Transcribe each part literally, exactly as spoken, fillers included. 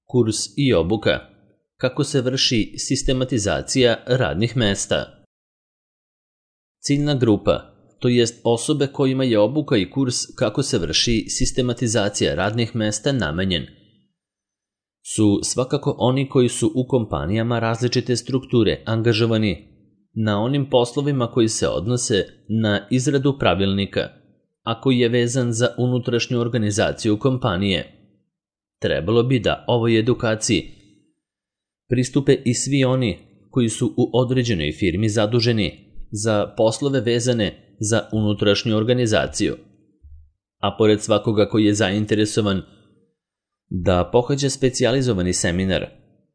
Kurs i obuka. Kako se vrši sistematizacija radnih mesta? Ciljna grupa, to jest osobe kojima je obuka i kurs kako se vrši sistematizacija radnih mesta namenjen, su svakako oni koji su u kompanijama različite strukture angažovani na onim poslovima koji se odnose na izradu pravilnika, a koji je vezan za unutrašnju organizaciju kompanije. Trebalo bi da ovoj edukaciji pristupe i svi oni koji su u određenoj firmi zaduženi za poslove vezane za unutrašnju organizaciju. A pored svakoga koji je zainteresovan da pohađa specijalizovani seminar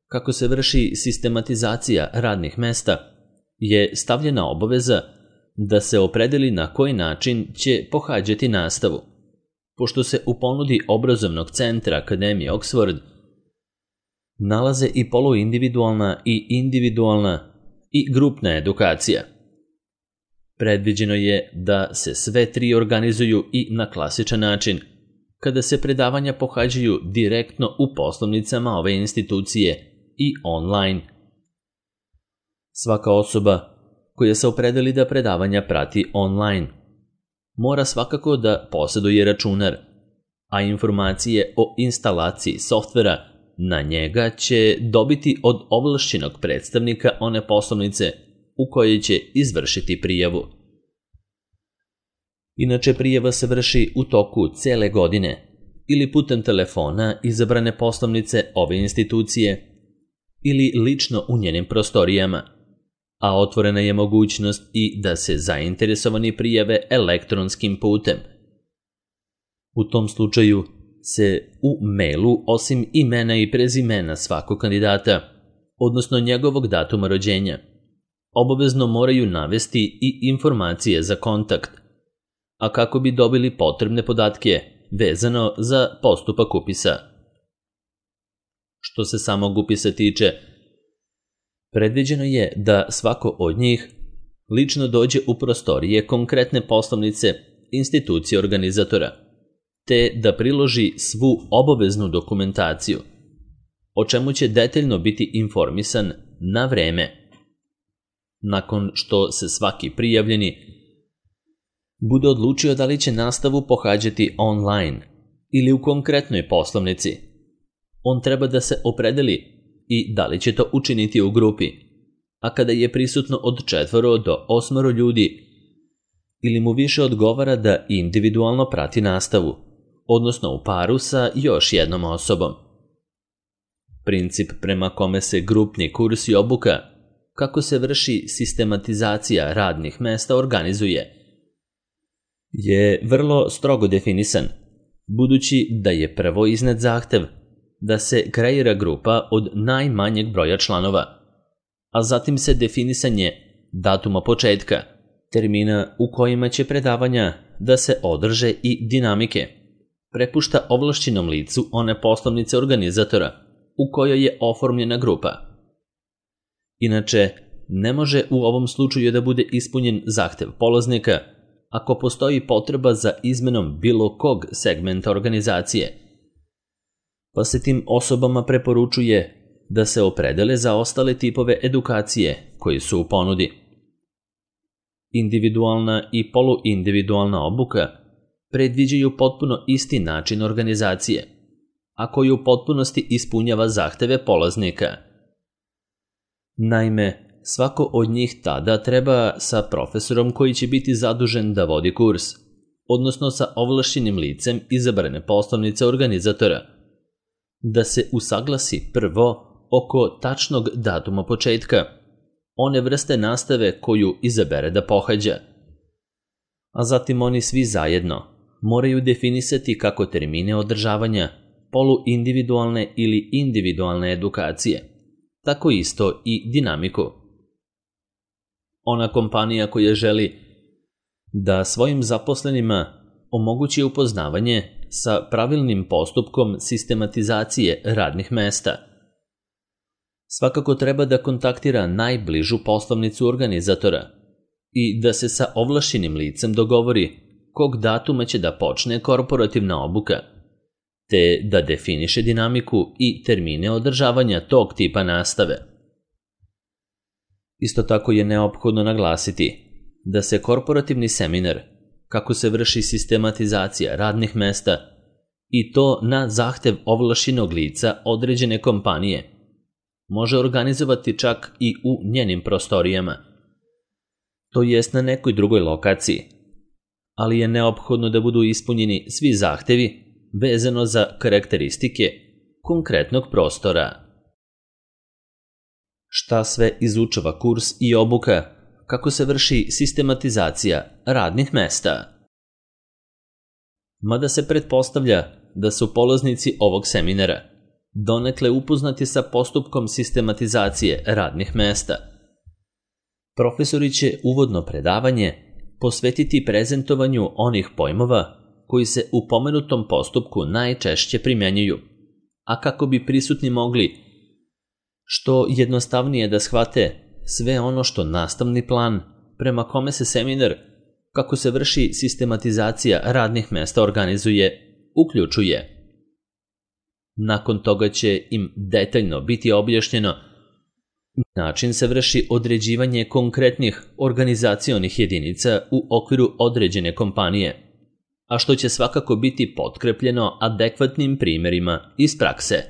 kako se vrši sistematizacija radnih mesta, je stavljena obaveza da se opredeli na koji način će pohađati nastavu, pošto se u ponudi obrazovnog centra Akademije Oxford nalaze i poluindividualna i individualna i grupna edukacija. Predviđeno je da se sve tri organizuju i na klasičan način, kada se predavanja pohađaju direktno u poslovnicama ove institucije i online. Svaka osoba koja se opredeli da predavanja prati online mora svakako da posjeduje računar, a informacije o instalaciji softvera na njega će dobiti od ovlašćenog predstavnika one poslovnice u kojoj će izvršiti prijavu. Inače, prijava se vrši u toku cele godine ili putem telefona izabrane poslovnice ove institucije ili lično u njenim prostorijama, a otvorena je mogućnost i da se zainteresovani prijave elektronskim putem. U tom slučaju se u mailu, osim imena i prezimena svakog kandidata, odnosno njegovog datuma rođenja, obavezno moraju navesti i informacije za kontakt, a kako bi dobili potrebne podatke vezano za postupak upisa. Što se samog upisa tiče, predviđeno je da svako od njih lično dođe u prostorije konkretne poslovnice institucije organizatora, te da priloži svu obaveznu dokumentaciju, o čemu će detaljno biti informisan na vreme. Nakon što se svaki prijavljeni bude odlučio da li će nastavu pohađati online ili u konkretnoj poslovnici, on treba da se opredeli i da li će to učiniti u grupi, a kada je prisutno od četvoro do osmoro ljudi, ili mu više odgovara da individualno prati nastavu, odnosno u paru sa još jednom osobom. Princip prema kome se grupni kurs i obuka kako se vrši sistematizacija radnih mesta organizuje je vrlo strogo definisan, budući da je prvo iznet zahtev da se kreira grupa od najmanjeg broja članova, a zatim se definisanje datuma početka, termina u kojima će predavanja da se održe i dinamike prepušta ovlašćenom licu one poslovnice organizatora u kojoj je oformljena grupa. Inače, ne može u ovom slučaju da bude ispunjen zahtev polaznika ako postoji potreba za izmenom bilo kog segmenta organizacije, pa se tim osobama preporučuje da se opredele za ostale tipove edukacije koji su u ponudi. Individualna i poluindividualna obuka predviđaju potpuno isti način organizacije, a koji u potpunosti ispunjava zahteve polaznika. Naime, svako od njih tada treba sa profesorom koji će biti zadužen da vodi kurs, odnosno sa ovlašćenim licem izabrane poslovnice organizatora, da se usaglasi prvo oko tačnog datuma početka, one vrste nastave koju izabere da pohađa, a zatim oni svi zajedno moraju definisati kako termine održavanja poluindividualne ili individualne edukacije, tako isto i dinamiku. Ona kompanija koja želi da svojim zaposlenima omogući upoznavanje sa pravilnim postupkom sistematizacije radnih mesta, svakako treba da kontaktira najbližu poslovnicu organizatora i da se sa ovlašćenim licem dogovori kog datuma će da počne korporativna obuka, te da definiše dinamiku i termine održavanja tog tipa nastave. Isto tako je neophodno naglasiti da se korporativni seminar, kako se vrši sistematizacija radnih mesta, i to na zahtev ovlašćenog lica određene kompanije, može organizovati čak i u njenim prostorijama, to jest na nekoj drugoj lokaciji, ali je neophodno da budu ispunjeni svi zahtevi vezano za karakteristike konkretnog prostora. Šta sve izučava kurs i obuka, kako se vrši sistematizacija radnih mesta? Mada se pretpostavlja da su polaznici ovog seminara donekle upoznati sa postupkom sistematizacije radnih mesta, profesori će uvodno predavanje posvetiti prezentovanju onih pojmova koji se u pomenutom postupku najčešće primjenjuju, a kako bi prisutni mogli što jednostavnije da shvate sve ono što nastavni plan prema kome se seminar, kako se vrši sistematizacija radnih mesta, organizuje, uključuje. Nakon toga će im detaljno biti objašnjeno način se vrši određivanje konkretnih organizacionih jedinica u okviru određene kompanije, a što će svakako biti potkrepljeno adekvatnim primjerima iz prakse.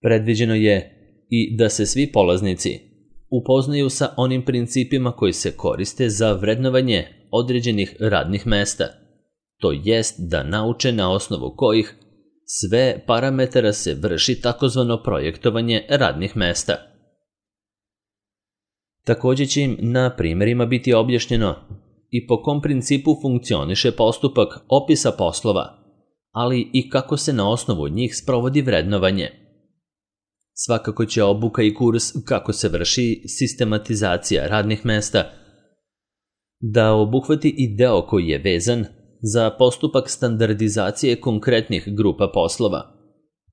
Predviđeno je i da se svi polaznici upoznaju sa onim principima koji se koriste za vrednovanje određenih radnih mesta, to jest da nauče na osnovu kojih sve parametara se vrši takozvano projektovanje radnih mesta. Također će im na primjerima biti objašnjeno i po kom principu funkcioniše postupak opisa poslova, ali i kako se na osnovu njih sprovodi vrednovanje. Svakako će obuka i kurs kako se vrši sistematizacija radnih mesta da obuhvati i deo koji je vezan za postupak standardizacije konkretnih grupa poslova,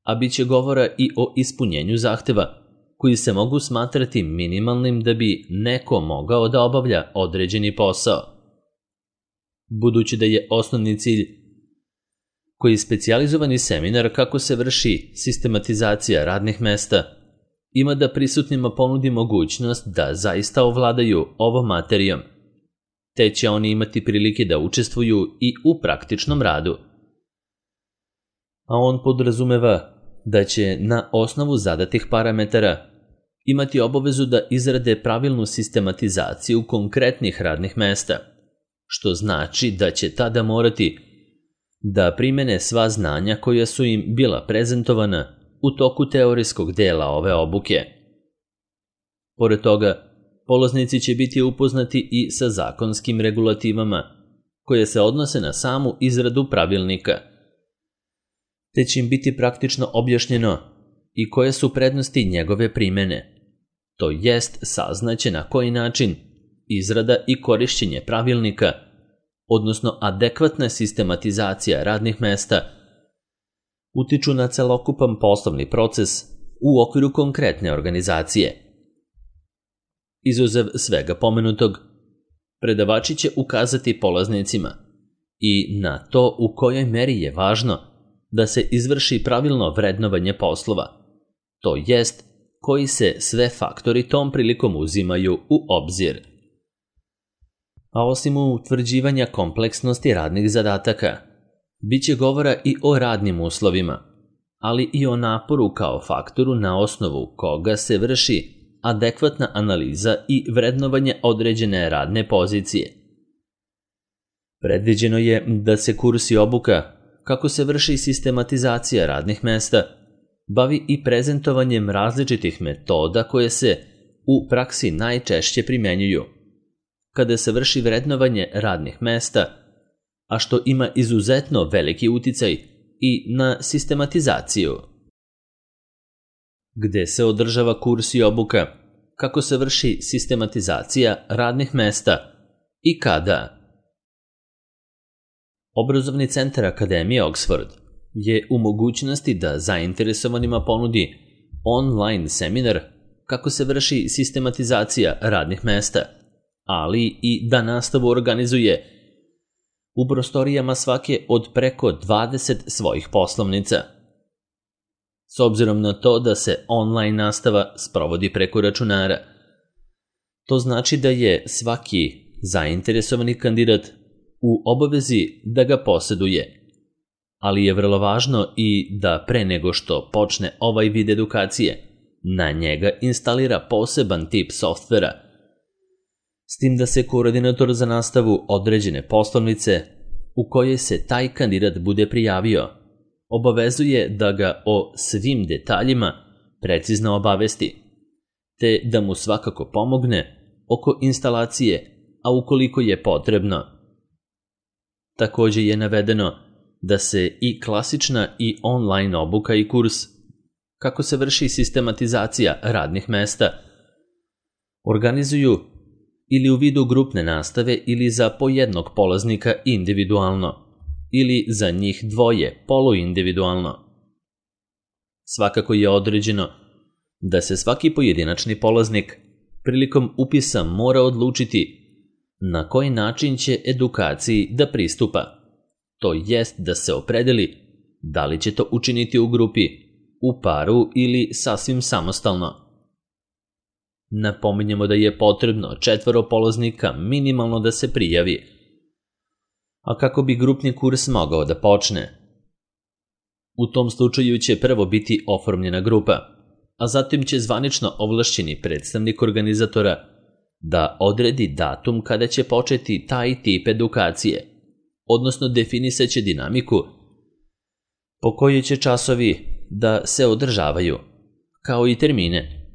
a bit će govora i o ispunjenju zahteva koji se mogu smatrati minimalnim da bi neko mogao da obavlja određeni posao. Budući da je osnovni cilj koji specijalizovani seminar kako se vrši sistematizacija radnih mesta ima da prisutnima ponudi mogućnost da zaista ovladaju ovom materijom, te će oni imati prilike da učestvuju i u praktičnom radu. A on podrazumeva da će na osnovu zadatih parametara imati obavezu da izrade pravilnu sistematizaciju konkretnih radnih mesta, što znači da će tada morati da primene sva znanja koja su im bila prezentovana u toku teorijskog dela ove obuke. Pored toga, polaznici će biti upoznati i sa zakonskim regulativama koje se odnose na samu izradu pravilnika, te će im biti praktično objašnjeno i koje su prednosti njegove primene, to jest saznaće na koji način izrada i korišćenje pravilnika, odnosno adekvatna sistematizacija radnih mesta, utiču na celokupan poslovni proces u okviru konkretne organizacije. Izuzev svega pomenutog, predavači će ukazati polaznicima i na to u kojoj meri je važno da se izvrši pravilno vrednovanje poslova, to jest koji se sve faktori tom prilikom uzimaju u obzir. A osim utvrđivanja kompleksnosti radnih zadataka, bit će govora i o radnim uslovima, ali i o naporu kao faktoru na osnovu koga se vrši adekvatna analiza i vrednovanje određene radne pozicije. Predviđeno je da se kurs i obuka, kako se vrši sistematizacija radnih mesta, bavi i prezentovanjem različitih metoda koje se u praksi najčešće primjenjuju kada se vrši vrednovanje radnih mesta, a što ima izuzetno veliki uticaj i na sistematizaciju. Gde se održava kurs i obuka, kako se vrši sistematizacija radnih mesta i kada? Obrazovni centar Akademije Oxford je u mogućnosti da zainteresovanima ponudi online seminar kako se vrši sistematizacija radnih mesta, ali i da nastavu organizuje u prostorijama svake od preko dvadeset svojih poslovnica. S obzirom na to da se online nastava sprovodi preko računara, to znači da je svaki zainteresovani kandidat u obavezi da ga posjeduje, ali je vrlo važno i da pre nego što počne ovaj vid edukacije, na njega instalira poseban tip softvera, s tim da se koordinator za nastavu određene poslovnice u kojoj se taj kandidat bude prijavio, obavezuje da ga o svim detaljima precizno obavesti, te da mu svakako pomogne oko instalacije, a ukoliko je potrebno. Također je navedeno da se i klasična i online obuka i kurs, kako se vrši sistematizacija radnih mesta, organizuju ili u vidu grupne nastave ili za po jednog polaznika individualno, ili za njih dvoje poluindividualno. Svakako je određeno da se svaki pojedinačni polaznik prilikom upisa mora odlučiti na koji način će edukaciji da pristupa, to jest da se opredeli da li će to učiniti u grupi, u paru ili sasvim samostalno. Napominjemo da je potrebno četvoro polaznika minimalno da se prijavi, a kako bi grupni kurs mogao da počne. U tom slučaju će prvo biti oformljena grupa, a zatim će zvanično ovlašćeni predstavnik organizatora da odredi datum kada će početi taj tip edukacije, odnosno definisaće dinamiku po kojoj će časovi da se održavaju, kao i termine.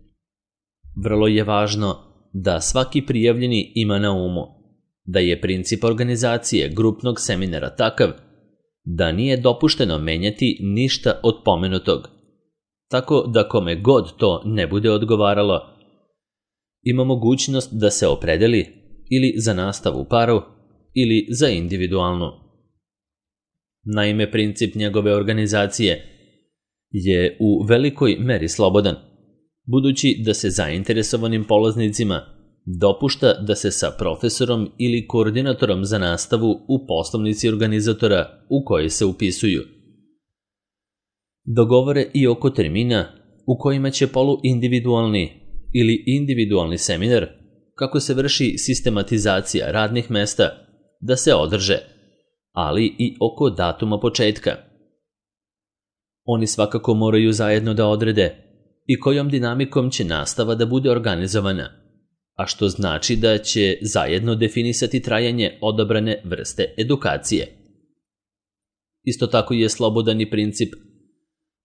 Vrlo je važno da svaki prijavljeni ima na umu da je princip organizacije grupnog seminara takav da nije dopušteno menjati ništa od pomenutog, tako da kome god to ne bude odgovaralo, ima mogućnost da se opredeli ili za nastavu u paru ili za individualnu. Naime, princip njegove organizacije je u velikoj meri slobodan, budući da se zainteresovanim polaznicima dopušta da se sa profesorom ili koordinatorom za nastavu u poslovnici organizatora u kojoj se upisuju dogovore i oko termina u kojima će poluindividualni ili individualni seminar, kako se vrši sistematizacija radnih mesta, da se održe, ali i oko datuma početka. Oni svakako moraju zajedno da odrede i kojom dinamikom će nastava da bude organizovana, a što znači da će zajedno definisati trajanje odabrane vrste edukacije. Isto tako je slobodan i princip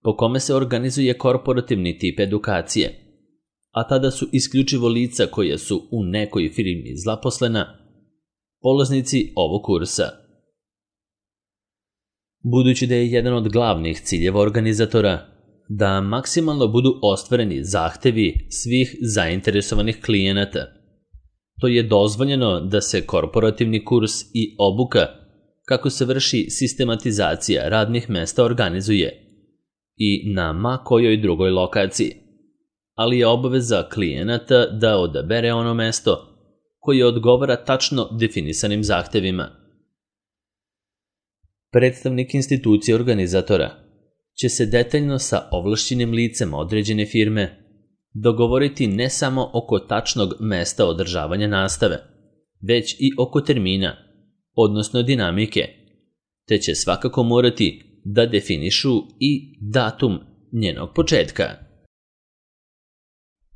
po kome se organizuje korporativni tip edukacije, a tada su isključivo lica koja su u nekoj firmi zaposlena polaznici ovog kursa. Budući da je jedan od glavnih ciljeva organizatora da maksimalno budu ostvareni zahtevi svih zainteresovanih klijenata, to je dozvoljeno da se korporativni kurs i obuka kako se vrši sistematizacija radnih mesta organizuje i na ma kojoj drugoj lokaciji, ali je obaveza klijenata da odabere ono mesto koje odgovara tačno definisanim zahtevima. Predstavnik institucije organizatora će se detaljno sa ovlašćenim licem određene firme dogovoriti ne samo oko tačnog mesta održavanja nastave, već i oko termina, odnosno dinamike, te će svakako morati da definišu i datum njenog početka.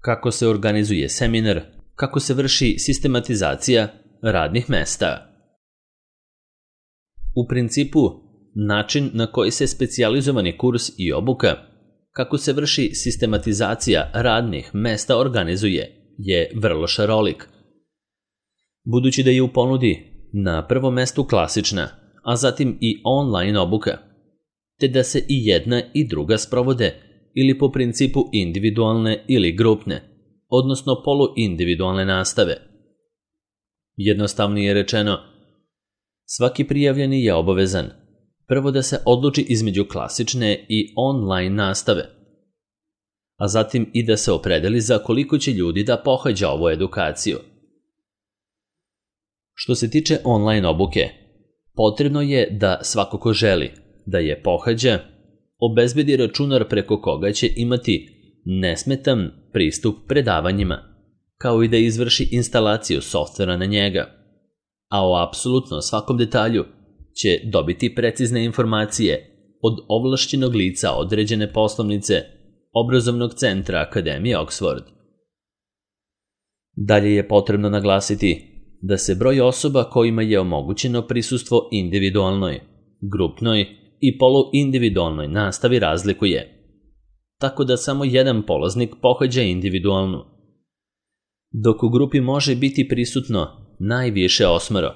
Kako se organizuje seminar, kako se vrši sistematizacija radnih mesta. U principu, način na koji se specijalizovani kurs i obuka, kako se vrši sistematizacija radnih mesta organizuje, je vrlo šarolik. Budući da je u ponudi na prvom mestu klasična, a zatim i online obuka, te da se i jedna i druga sprovode ili po principu individualne ili grupne, odnosno poluindividualne nastave. Jednostavnije rečeno, svaki prijavljeni je obavezan prvo da se odluči između klasične i online nastave, a zatim i da se opredeli za koliko će ljudi da pohađa ovu edukaciju. Što se tiče online obuke, Potrebno je da svako ko želi da je pohađa, obezbedi računar preko koga će imati nesmetan pristup predavanjima, kao i da izvrši instalaciju softvera na njega, a o apsolutno svakom detalju će dobiti precizne informacije od ovlašćenog lica određene poslovnice obrazovnog centra Akademije Oxford. Dalje je potrebno naglasiti da se broj osoba kojima je omogućeno prisustvo individualnoj, grupnoj i poluindividualnoj nastavi razlikuje, tako da samo jedan polaznik pohađa individualnu, dok u grupi može biti prisutno najviše osmoro,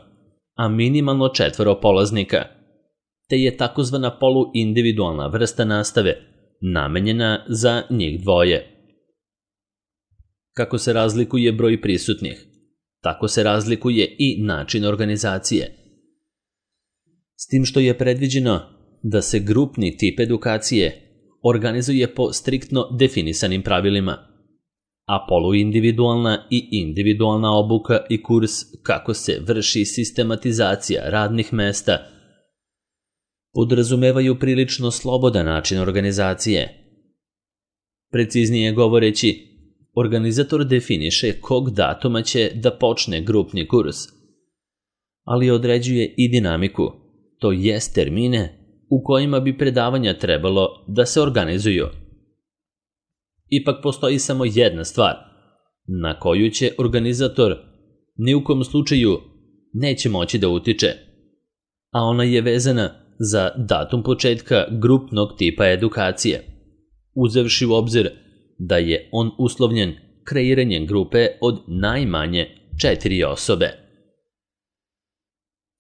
a minimalno četvoro polaznika, te je takozvana poluindividualna vrsta nastave namenjena za njih dvoje. Kako se razlikuje broj prisutnih, tako se razlikuje i način organizacije. S tim što je predviđeno da se grupni tip edukacije organizuje po striktno definisanim pravilima, a poluindividualna i individualna obuka i kurs kako se vrši sistematizacija radnih mesta podrazumevaju prilično slobodan način organizacije. Preciznije govoreći, organizator definiše kog datuma će da počne grupni kurs, ali određuje i dinamiku, to jest termine u kojima bi predavanja trebalo da se organizuju. Ipak postoji samo jedna stvar na koju će organizator ni u kom slučaju neće moći da utiče, a ona je vezana za datum početka grupnog tipa edukacije, uzevši u obzir da je on uslovljen kreiranjem grupe od najmanje četiri osobe.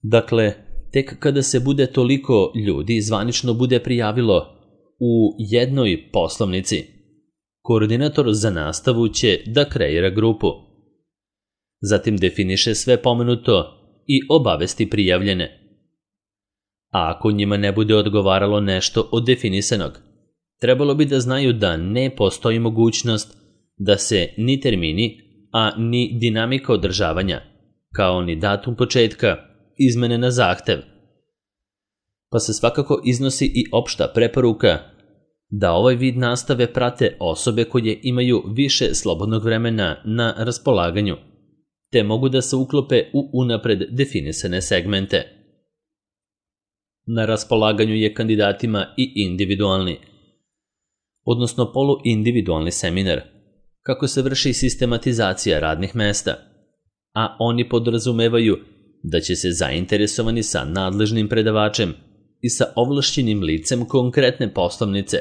Dakle, tek kada se bude toliko ljudi zvanično bude prijavilo u jednoj poslovnici, koordinator za nastavu će da kreira grupu. Zatim definiše sve pomenuto i obavesti prijavljene. A ako njima ne bude odgovaralo nešto od definisanog, trebalo bi da znaju da ne postoji mogućnost da se ni termini, a ni dinamika održavanja, kao ni datum početka, izmene na zahtev. Pa se svakako iznosi i opšta preporuka da ovaj vid nastave prate osobe koje imaju više slobodnog vremena na raspolaganju, te mogu da se uklope u unapred definisane segmente. Na raspolaganju je kandidatima i individualni, odnosno poluindividualni seminar, kako se vrši sistematizacija radnih mesta, a oni podrazumevaju da će se zainteresovani sa nadležnim predavačem i sa ovlašćenim licem konkretne poslovnice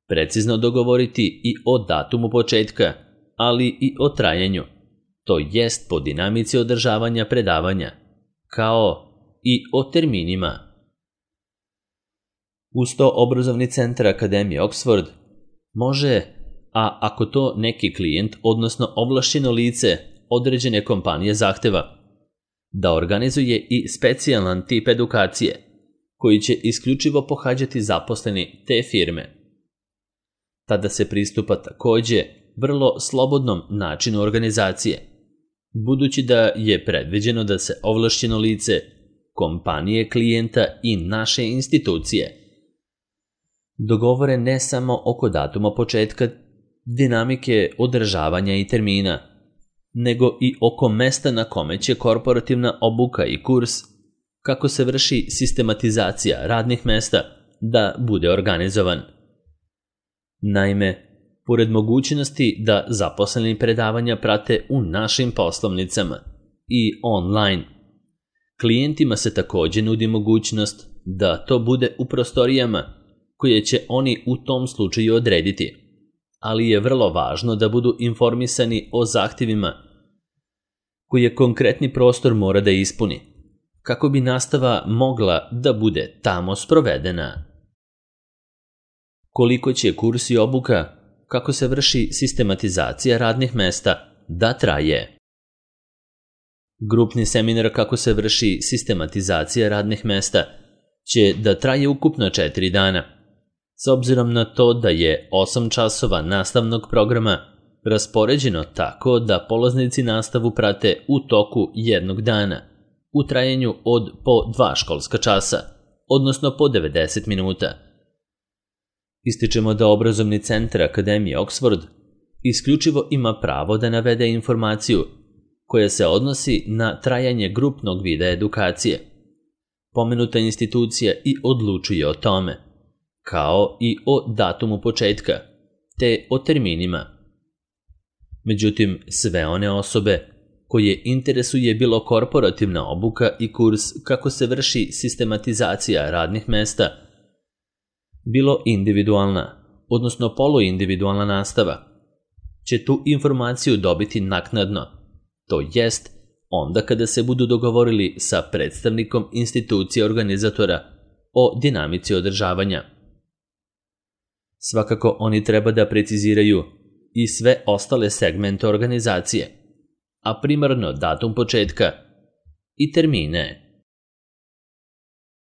precizno dogovoriti i o datumu početka, ali i o trajanju, to jest po dinamici održavanja predavanja, kao i o terminima. Uz to obrazovni centar Akademije Oxford može, a ako to neki klijent, odnosno ovlašćeno lice određene kompanije zahteva, da organizuje i specijalan tip edukacije, koji će isključivo pohađati zaposleni te firme. Tada se pristupa takođe vrlo slobodnom načinu organizacije, budući da je predviđeno da se ovlašćeno lice, kompanije klijenta i naše institucije dogovore ne samo oko datuma početka, dinamike održavanja i termina, nego i oko mesta na kome će korporativna obuka i kurs, kako se vrši sistematizacija radnih mesta, da bude organizovan. Naime, pored mogućnosti da zaposleni predavanja prate u našim poslovnicama i online, klijentima se takođe nudi mogućnost da to bude u prostorijama koje će oni u tom slučaju odrediti, ali je vrlo važno da budu informisani o zahtjevima koje konkretni prostor mora da ispuni, kako bi nastava mogla da bude tamo sprovedena. Koliko će kurs i obuka, kako se vrši sistematizacija radnih mesta, da traje? Grupni seminar kako se vrši sistematizacija radnih mesta će da traje ukupno četiri dana, s obzirom na to da je osam časova nastavnog programa raspoređeno tako da polaznici nastavu prate u toku jednog dana u trajanju od po dva školska časa, odnosno po devedeset minuta. Ističemo da obrazovni centar Akademije Oxford isključivo ima pravo da navede informaciju koja se odnosi na trajanje grupnog vida edukacije. Pomenuta institucija i odlučuje o tome, kao i o datumu početka, te o terminima. Međutim, sve one osobe koje interesuje bilo korporativna obuka i kurs kako se vrši sistematizacija radnih mesta, bilo individualna, odnosno poluindividualna nastava, će tu informaciju dobiti naknadno, to jest onda kada se budu dogovorili sa predstavnikom institucije organizatora o dinamici održavanja. Svakako oni treba da preciziraju i sve ostale segmente organizacije, a primarno datum početka i termine